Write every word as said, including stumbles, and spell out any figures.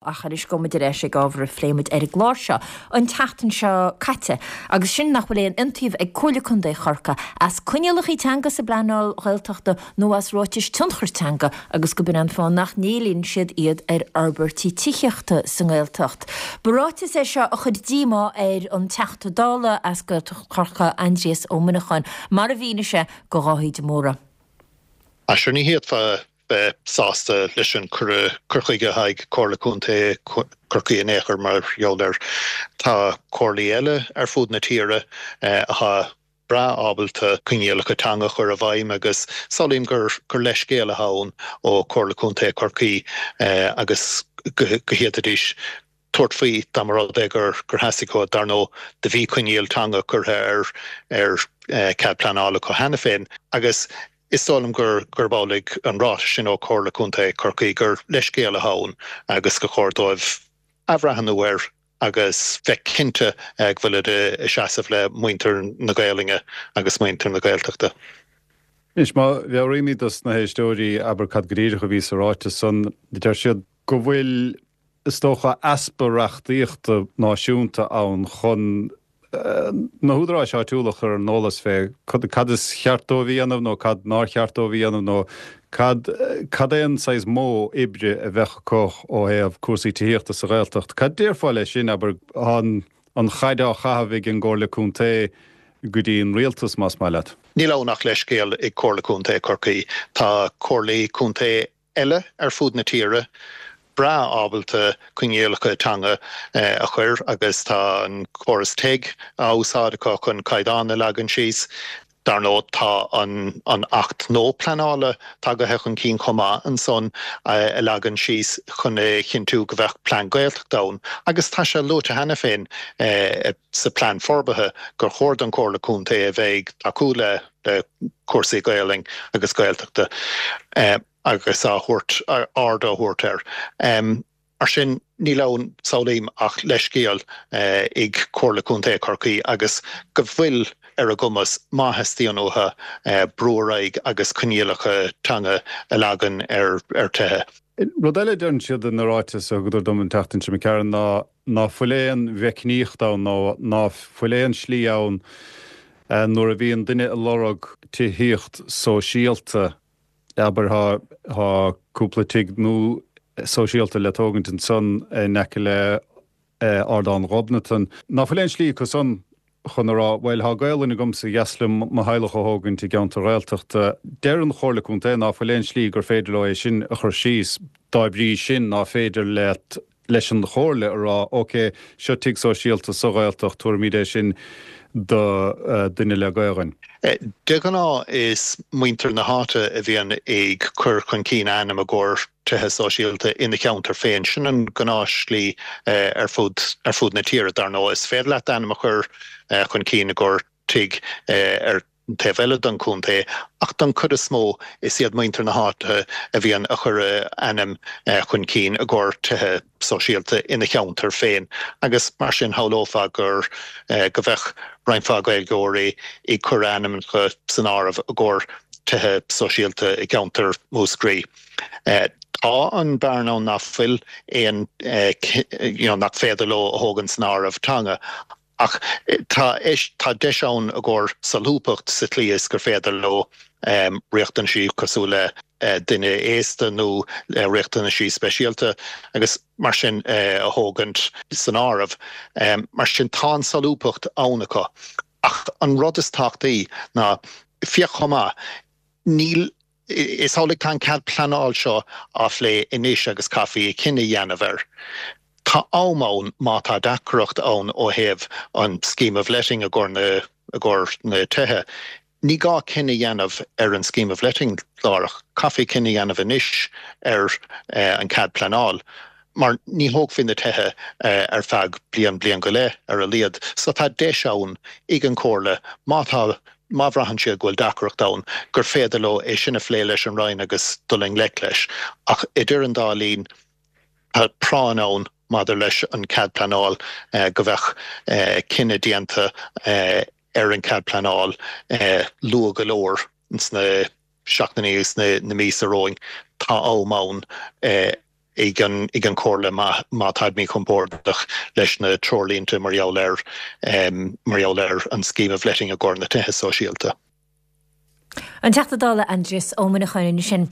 Ach anois gabhfaidh muid ar ais ag ábhar a phléigh muid ar an gclár seo an tseachtain seo caite, agus sin nach bhfuil aon iontaoibh ag Comhairle Contae Chorcaí as coinníollacha teanga sa bpleanáil Ghaeltachta nó as ráitis tionchar teanga agus gurb in an fáth nach n-éilíonn siad iad ar fhorbairtí tithíochta sa nGaeltacht. Ba ráiteas é seo a chuir díomá ar an Teachta Dála as Gaeltacht Chorcaí Aindrias Ó Muineacháin, mar a mhínigh sé do Dháithí de Mórdha. Sure ní fhéadfá bheith sásta leis an cur chuige atá ag Comhairle Contae Chorcaí in aon chor mar gheall air. Tá comhairlí eile ar fud na tíre atá breá ábalta coinníollacha teanga a chur i bhfeidhm agus samhlaím gur gur leithscéal atá ann ó Chomhairle Contae Chorcaí agus go bhféadfaidís tabhairt faoi dá mba rud é gur gur theastaigh uathu dar ndóigh do bhí coinníoll teanga curtha ar ar cead pleanála acu cheana féin agus is dóigh liom gur gurb amhlaidh an ráiteas sin ó Chomhairle Contae Chorcaí gur leithscéal atá ann agus gur chóir dóibh athbhreithniú air agus bheith cinnte go bhfuil ag seasamh le muintir na Gaelainne agus muintir na Gaeltachta. Anois má mheabhraímid dos na héisteoirí abair cad go díreach a bhí sa ráiteas san deir siad go bhfuil is dócha easpa reachtaíochta náisiúnta ann chun na húdaráis áitiúla a chur ar an eolas fé cad is ceart dóibh a dhéanamh nó cad nár cheart dóibh a dhéanamh nó cad cad é an saghas modh oibre a bheadh acu ó thaobh cúrsaí tithíochta sa Ghaeltacht. Cad déarfá leis sin abair an an chaid á chaitheamh ag an gComhairle Contae go dtí an rialtas más maith leat. Níl ann ach leithscéal ag Comhairle Contae Chorcaí Tá comhairlí contae eile ar fud na tíre breá ábalta coinníollacha teanga a chur agus tá an córas TEG á úsáid acu chun caighdeán a leagan síos. Dar ndóigh tá an an Acht nua pleanála tagaithe chun cinn chomh maith ansan a leagan síos chun a chinntiú go bheadh plean Gaeltachta ann agus tá sé luaite cheana féin sa plean forbartha gur chóir don Chomhairle Contae a bheith ag tacú le le cúrsaí Gaelainne agus Gaeltachta. agus á thabhairt aird á thabhairt air. Um, Mar sin níl ann samhlaím ach leithscéal ag Comhairle Contae Chorcaí agus go bhfuil ar a gcumas má theastaíonn uathu brú ar aghaidh agus coinníollacha teanga a leagan ar ar tithe. Rud eile deireann siad ina ráiteas a thugadar dom an tseachtain seo Ciarán ná ná fuil aon mheicníocht ann nó ná fuil aon slí ann nuair a bhíonn duine ag lorg tithíocht sóisialta abair tá cúpla tigh nua sóisialta le tógaint ansan in aice le Ardán Ghobnatan. Ná fuil aon slí acu san chun a rá bhuel tá Gaelainn agamsa ba dheas liom mo theaghlach a thógaint i gceantar Ghaeltachta. Deir an Chomhairle Contae ná fuil aon slí gur féidir leo é sin a chur síos dá bhrí sin ná féidir leat leis an chomhairle a rá ok seo tigh sóisialta sa Ghaeltacht tabharfaimid é sin do duine le Gaelainn. De ghnáth is muintir na háite a bhíonn ag cur chun cinn ainm i gcomhair tithe sóisialta ina cheantar féin sin an gnáthshlí ar fud ar fud na tíre dar ndóigh is féidir leat ainm a chur chun cinn i gcomhair tigh ar taobh eile den chontae ach don chuid is mó is iad muintir na háite a bhíonn a chur ainm chun cinn i gcomhair tithe sóisialta ina cheantar féin agus mar sin shamhlófá gur go bheadh roinnt mhaith Gaeilgeoirí ag cur ainmneacha san áireamh i gcomhair tithe sóisialta i gceantar Mhúscraí. Tá an bearna nach bhfuil aon you know, nach féidir leo a thógaint san áireamh teanga ach tá tá deis ann i gcomhair solúbthacht sa tslí is gur féidir leo um, riachtanaisí cosúil le uh, duine aosta nó uh, riachtanaisí speisialta agus mar sin uh, a thógaint san áireamh. Um, mar sin tá an solúbthacht ann acu. Ach an rud is tábhachtaí ná féach chomh maith níl is amhlaidh tá an cead pleanála seo á phlé anois agus caithfidh cinneadh a dhéanamh air. Tá am ann má tá deacracht ann ó thaobh an scheme of letting i gcomhair na i gcomhair na tithe. Ní gá cinneadh a dhéanamh ar an scheme of letting láithreach, caithfidh cinneadh a dhéanamh anois ar eh, an cead pleanála. Mar ní thógfaí na tithe eh, ar feadh bliain bliain go leith ar a laghad, so tá deis ann ag an chomhairle má tá má bhraitheann siad go bhfuil deacracht ann gur féidir leo é sin a phlé leis an Roinn agus dul i ngleic leis. Ach idir an dá linn tá práinn ann maidir leis an cead pleanála eh, go bheadh eh, cinneadh déanta eh, ar an cead pleanála eh, luath go leor sna seachtainí agus na, na míosa romhainn tá am ann eh, ag an ag an Chomhairle má má táid míchompordach leis na treoirlínte mar gheall ar um, mar gheall ar an scheme of letting i gcomhair na tithe sóisialta. An Teachta Dála Aindrias Ó Muineacháin sin.